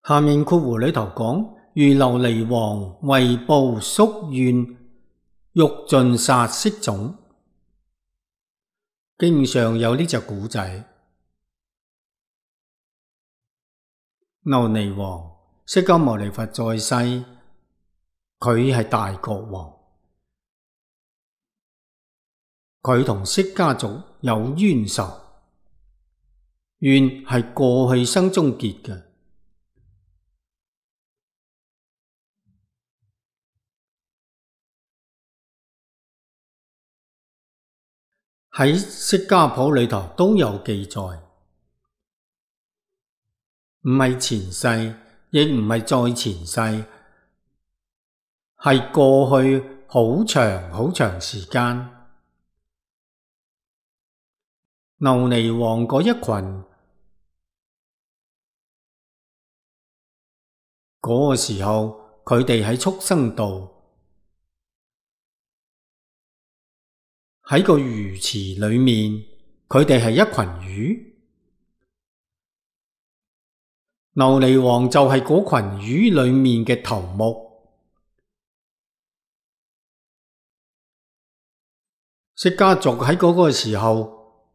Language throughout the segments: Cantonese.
下面括弧裏頭講，如琉璃王為報宿怨，欲盡殺色種。經上有呢隻古仔，琉璃王釋迦牟尼佛在世，佢係大國王，佢同釋迦族有冤仇，怨係過去生中結嘅。喺釋迦譜裏頭都有記載，唔係前世，亦唔係再前世，係過去好長好長時間。琉璃王嗰一群，嗰個時候佢哋喺畜生道，喺個魚池裏面，佢哋係一群魚。琉璃王就係嗰群魚裏面嘅頭目。釋迦族喺嗰個時候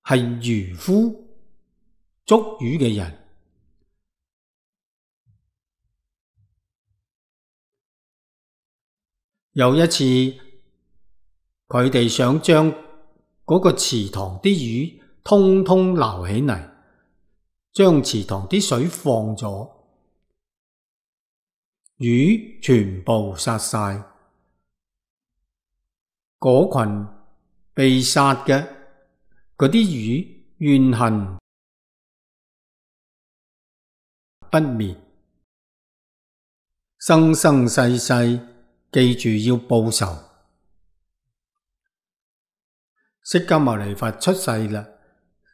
係漁夫，捉魚嘅人。有一次，佢哋想將嗰個池塘啲魚通通撈起嚟，將池塘啲水放咗，魚全部殺晒。嗰群被殺嘅嗰啲魚怨恨不滅，生生世世記住要報仇。釋迦牟尼佛出世啦，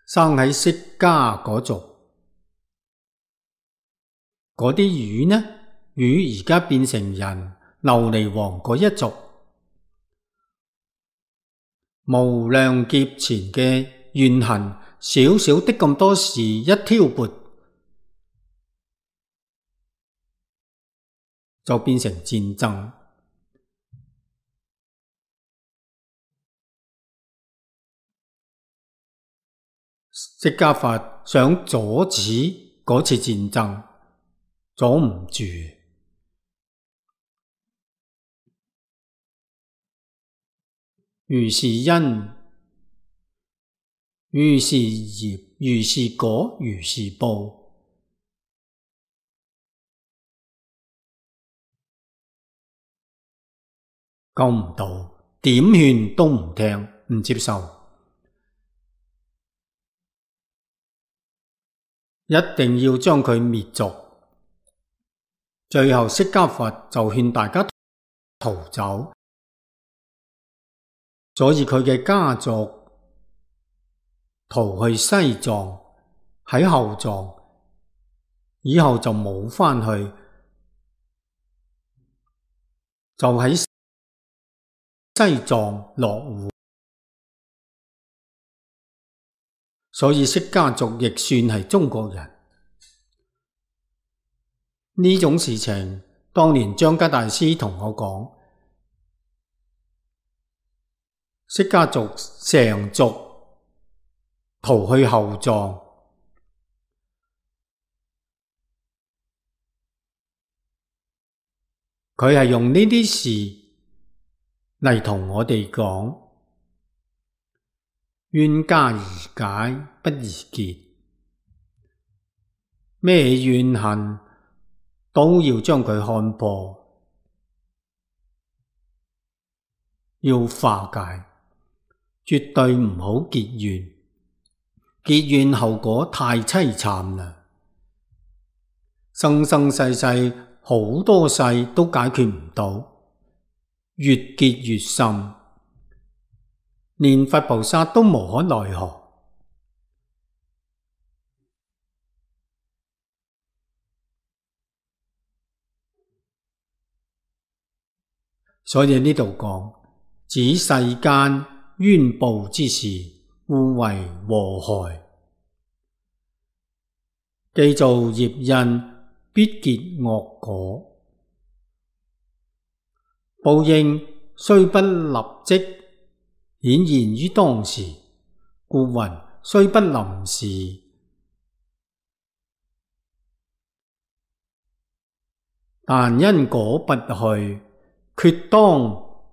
生喺釋迦嗰族，嗰啲魚呢？魚而家變成人，琉璃王嗰一族，無量劫前嘅怨恨，少少的咁多事一挑撥，就變成戰爭。釋迦佛想阻止嗰次戰爭，阻唔住。如是因，如是業，如是果，如是報。救唔到，點勸都唔聽，唔接受。一定要將佢滅族。最後釋迦佛就勸大家逃走，所以佢嘅家族逃去西藏，喺後藏，以後就冇返去，就喺西藏落戶。所以釋迦族亦算係中國人。呢種事情，當年張家大師同我講，釋迦族成族逃去後藏，佢係用呢啲事嚟同我哋講。冤家宜解不宜結，咩怨恨都要將佢看破，要化解，絕對唔好結怨。結怨後果太淒慘啦，生生世世好多世都解決唔到，越結越深。連佛菩薩都無可奈何。所以呢度講，指世間冤報之事，互為禍害。既造業因，必結惡果。報應雖不立即顯現於當時，故云雖不臨時，但因果不去，決當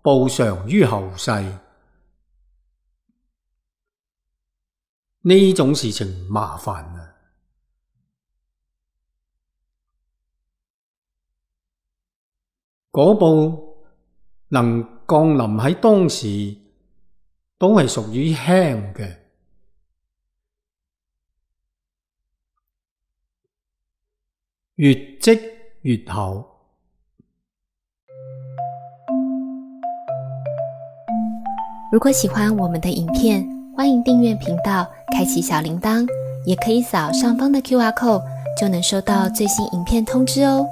報償於後世。呢種事情麻煩啊！果報能降臨喺當時，都係屬於輕嘅，越積越厚。如果喜歡我們的影片，歡迎訂閱頻道，開啟小鈴鐺，也可以掃上方的QR code，就能收到最新影片通知哦。